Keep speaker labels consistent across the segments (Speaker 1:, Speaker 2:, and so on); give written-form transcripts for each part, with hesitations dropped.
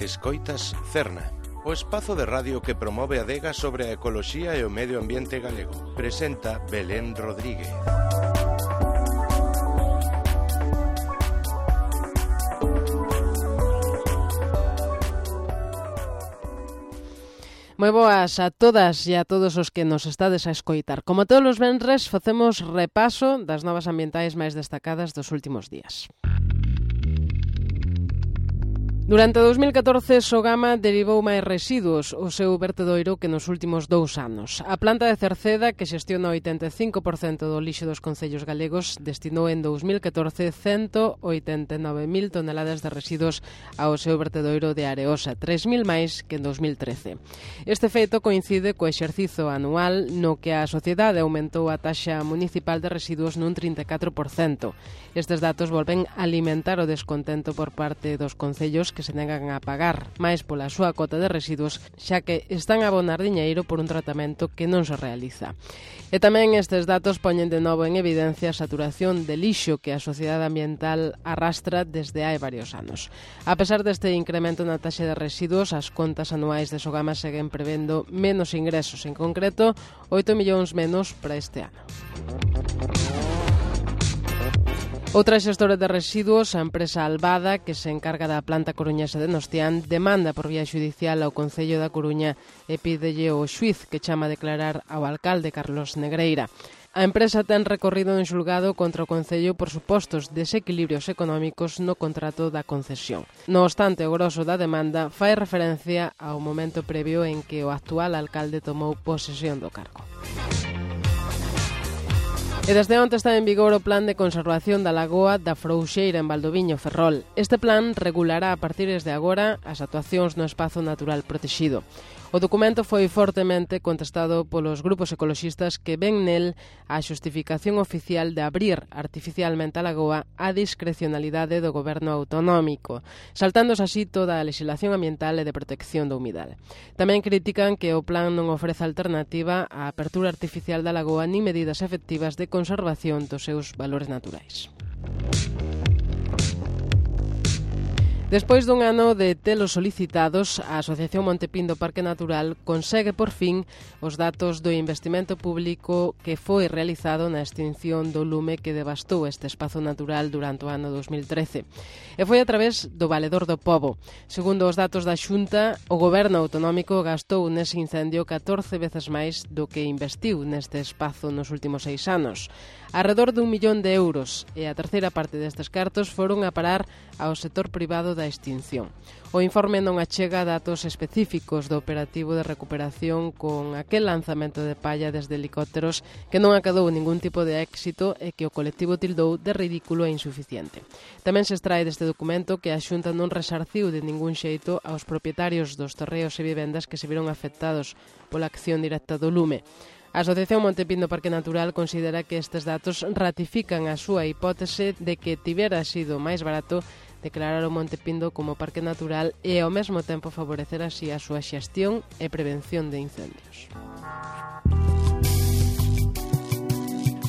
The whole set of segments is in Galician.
Speaker 1: Escoitas Cerna, o espazo de radio que promove a adega sobre a ecoloxía e o medio ambiente galego. Presenta Belén Rodríguez.
Speaker 2: Moi boas a todas e a todos os que nos estades a escoitar. Como todos os venres, facemos repaso das novas ambientais máis destacadas dos últimos días. Durante 2014, Sogama derivou máis residuos ao seu vertedoiro que nos últimos 2 anos. A planta de Cerceda, que xestiona o 85% do lixo dos concellos galegos, destinou en 2014 189.000 toneladas de residuos ao seu vertedoiro de Areosa, 3.000 máis que en 2013. Este feito coincide co exercizo anual no que a sociedade aumentou a taxa municipal de residuos nun 34%. Estes datos volven a alimentar o descontento por parte dos concellos que se negan a pagar máis pola súa cota de residuos, xa que están a abonar diñeiro por un tratamento que non se realiza. E tamén estes datos poñen de novo en evidencia a saturación de lixo que a sociedade ambiental arrastra desde hai varios anos. A pesar deste incremento na taxa de residuos, as contas anuais de Sogama seguen prevendo menos ingresos, en concreto 8 millóns menos para este ano. Outra xestora de residuos, a empresa Albada, que se encarga da planta coruñesa de Nostián, demanda por vía xudicial ao Concello da Coruña e pídelle o xuíz que chama a declarar ao alcalde Carlos Negreira. A empresa ten recorrido en xulgado contra o Concello por supostos desequilibrios económicos no contrato da concesión. No obstante, o groso da demanda fai referencia ao momento previo en que o actual alcalde tomou posesión do cargo. E desde onte está en vigor o Plan de Conservación da Lagoa da Frouxeira en Valdoviño, Ferrol. Este plan regulará a partir de agora as actuacións no espazo natural protexido. O documento foi fortemente contestado polos grupos ecoloxistas que ven nel a xustificación oficial de abrir artificialmente a lagoa á discrecionalidade do goberno autonómico, saltándose así toda a lexislación ambiental e de protección do humidal. Tamén critican que o plan non ofrece alternativa á apertura artificial da lagoa nin medidas efectivas de conservación dos seus valores naturais. Despois dun ano de telos solicitados, a Asociación Montepindo Parque Natural consegue por fin os datos do investimento público que foi realizado na extinción do lume que devastou este espazo natural durante o ano 2013. E foi a través do Valedor do Pobo. Segundo os datos da Xunta, o goberno autonómico gastou nese incendio 14 veces máis do que investiu neste espazo nos últimos 6 anos. Arredor de 1 millón de euros, e a terceira parte destes cartos foron a parar ao sector privado da extinción. O informe non achega datos específicos do operativo de recuperación con aquel lanzamento de palla desde helicópteros que non acadou ningún tipo de éxito e que o colectivo tildou de ridículo e insuficiente. Tamén se extrae deste documento que a Xunta non resarciu de ningún xeito aos propietarios dos terreos e vivendas que se viron afectados pola acción directa do lume. A Asociación Montepindo Parque Natural considera que estes datos ratifican a súa hipótese de que tivera sido máis barato declarar o Montepindo como parque natural e ao mesmo tempo favorecer así a súa xestión e prevención de incendios.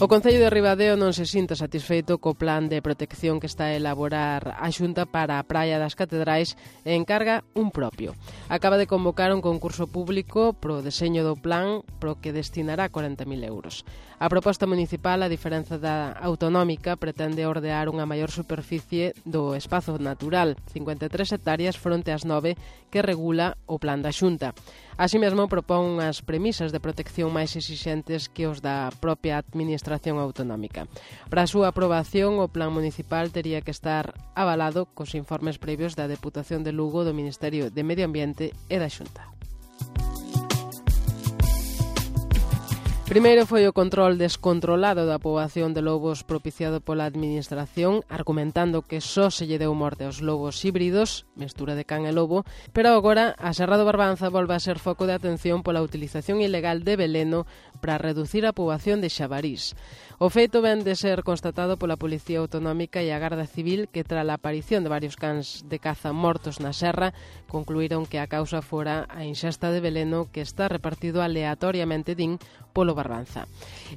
Speaker 2: O Concello de Ribadeo non se sinta satisfeito co plan de protección que está a elaborar a Xunta para a Praia das Catedrais e encarga un propio. Acaba de convocar un concurso público pro deseño do plan pro que destinará 40.000 euros. A proposta municipal, a diferenza da autonómica, pretende ordear unha maior superficie do espazo natural, 53 hectáreas fronte ás 9 que regula o plan da Xunta. Así mesmo propón unhas premisas de protección máis exixentes que os da propia administración autonómica. Para a súa aprobación, o plan municipal tería que estar avalado cos informes previos da Deputación de Lugo, do Ministerio de Medio Ambiente e da Xunta. Primeiro foi o control descontrolado da poboación de lobos propiciado pola administración, argumentando que só se lle deu morte aos lobos híbridos, mestura de can e lobo, pero agora a Serra do Barbanza volve a ser foco de atención pola utilización ilegal de veleno para reducir a poboación de xabarís. O feito ven de ser constatado pola Policía Autonómica e a Garda Civil que, tras a aparición de varios cans de caza mortos na serra, concluíron que a causa fora a inxesta de veleno que está repartido aleatoriamente, din, polo Barbanza.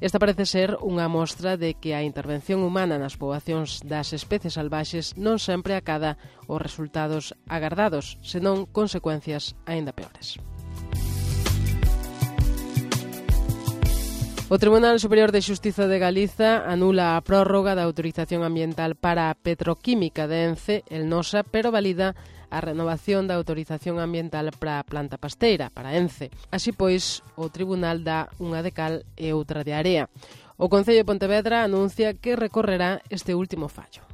Speaker 2: Esta parece ser unha mostra de que a intervención humana nas poboacións das especies salvaxes non sempre acada os resultados agardados, senón consecuencias aínda peores. O Tribunal Superior de Xustiza de Galiza anula a prórroga da autorización ambiental para a petroquímica de Ence, el Nosa, pero valida a renovación da autorización ambiental para a planta pasteira, para Ence. Así pois, o Tribunal dá unha de cal e outra de area. O Concello de Pontevedra anuncia que recorrerá este último fallo.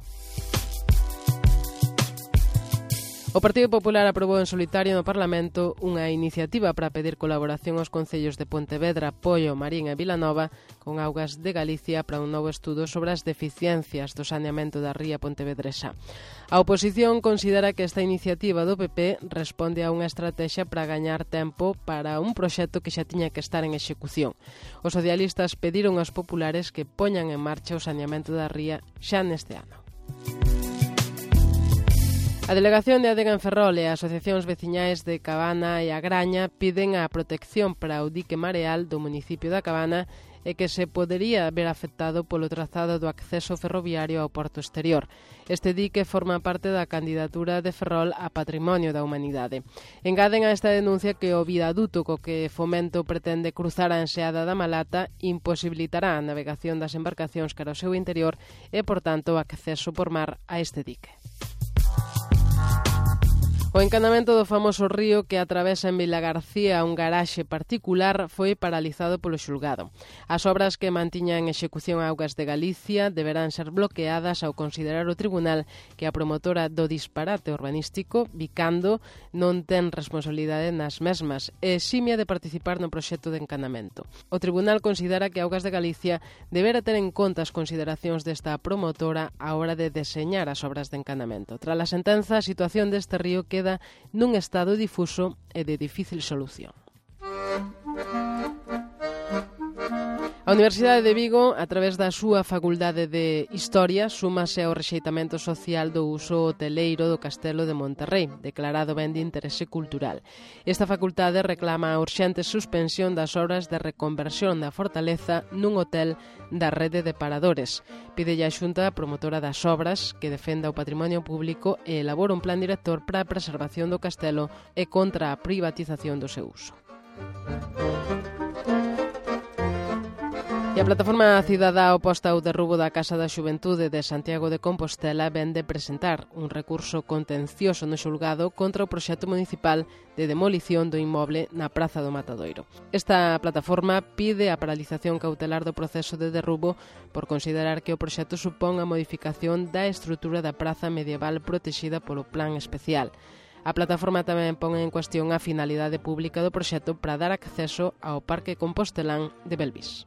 Speaker 2: O Partido Popular aprobou en solitario no Parlamento unha iniciativa para pedir colaboración aos concellos de Pontevedra, Poio, Marín e Vilanova con Augas de Galicia para un novo estudo sobre as deficiencias do saneamento da ría pontevedresa. A oposición considera que esta iniciativa do PP responde a unha estrategia para gañar tempo para un proxecto que xa tiña que estar en execución. Os socialistas pediron aos populares que poñan en marcha o saneamento da ría xa neste ano. A Delegación de Adega en Ferrol e as asociacións veciñais de Cabana e a Graña piden a protección para o dique mareal do municipio da Cabana e que se podería ver afectado polo trazado do acceso ferroviario ao porto exterior. Este dique forma parte da candidatura de Ferrol a Patrimonio da Humanidade. Engaden a esta denuncia que o viaduto co que Fomento pretende cruzar a enseada da Malata imposibilitará a navegación das embarcacións cara ao seu interior e, por tanto, o acceso por mar a este dique. O encanamento do famoso río que atravesa en Vilagarcía un garaxe particular foi paralizado polo xulgado. As obras que mantiñan en execución Augas de Galicia deberán ser bloqueadas ao considerar o tribunal que a promotora do disparate urbanístico, Vicando, non ten responsabilidade nas mesmas e eximia de participar no proxecto de encanamento. O tribunal considera que Augas de Galicia debera ter en conta as consideracións desta promotora á hora de deseñar as obras de encanamento. Tras a sentenza, a situación deste río queda nun estado difuso e de difícil solución. A Universidade de Vigo, a través da súa Facultade de Historia, súmase ao rexeitamento social do uso hoteleiro do Castelo de Monterrei, declarado ben de interese cultural. Esta facultade reclama a urxente suspensión das obras de reconversión da fortaleza nun hotel da rede de paradores. Pídelle a Xunta promotora das obras que defenda o patrimonio público e elabora un plan director para a preservación do castelo e contra a privatización do seu uso. E a plataforma cidadá oposta ao derrubo da Casa da Xuventude de Santiago de Compostela vén de presentar un recurso contencioso no xulgado contra o proxecto municipal de demolición do inmoble na Praza do Matadoiro. Esta plataforma pide a paralización cautelar do proceso de derrubo por considerar que o proxecto supón a modificación da estrutura da praza medieval protexida polo plan especial. A plataforma tamén pon en cuestión a finalidade pública do proxecto para dar acceso ao Parque Compostelán de Belvís.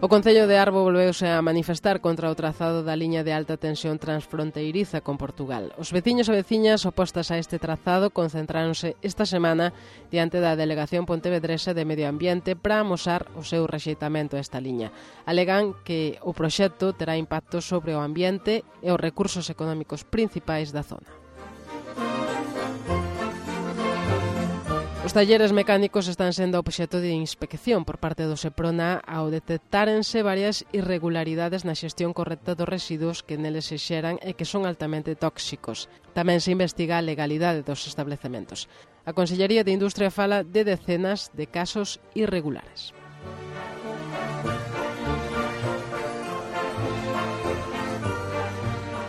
Speaker 2: O Concello de Arbo volveuse a manifestar contra o trazado da liña de alta tensión transfronteiriza con Portugal. Os veciños e veciñas opostas a este trazado concentráronse esta semana diante da Delegación Pontevedresa de Medio Ambiente para amosar o seu rexeitamento a esta liña. Alegan que o proxecto terá impacto sobre o ambiente e os recursos económicos principais da zona. Os talleres mecánicos están sendo obxecto de inspección por parte do Seprona ao detectárense varias irregularidades na xestión correcta dos residuos que neles se xeran e que son altamente tóxicos. Tamén se investiga a legalidade dos establecementos. A Consellería de Industria fala de decenas de casos irregulares.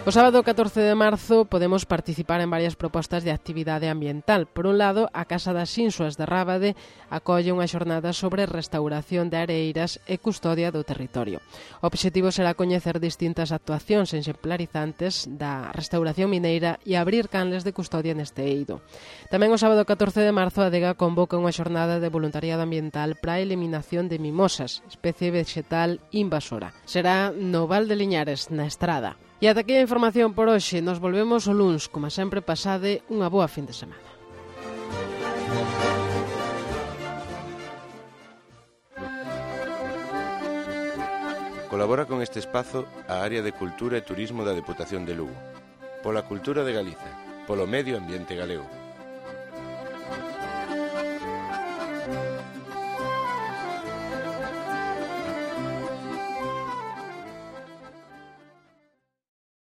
Speaker 2: O sábado 14 de marzo podemos participar en varias propostas de actividade ambiental. Por un lado, a Casa das Insuas de Rábade acolle unha xornada sobre restauración de areiras e custodia do territorio. O obxectivo será coñecer distintas actuacións exemplarizantes da restauración mineira e abrir canles de custodia neste eido. Tamén o sábado 14 de marzo a Adega convoca unha xornada de voluntariado ambiental para a eliminación de mimosas, especie vegetal invasora. Será no Val de Liñares, na Estrada. E ata aquí a información por hoxe. Nos volvemos o luns. Como sempre, pasade unha boa fin de semana.
Speaker 1: Colabora con este espazo a Área de Cultura e Turismo da Deputación de Lugo. Pola cultura de Galiza, polo medio ambiente galego.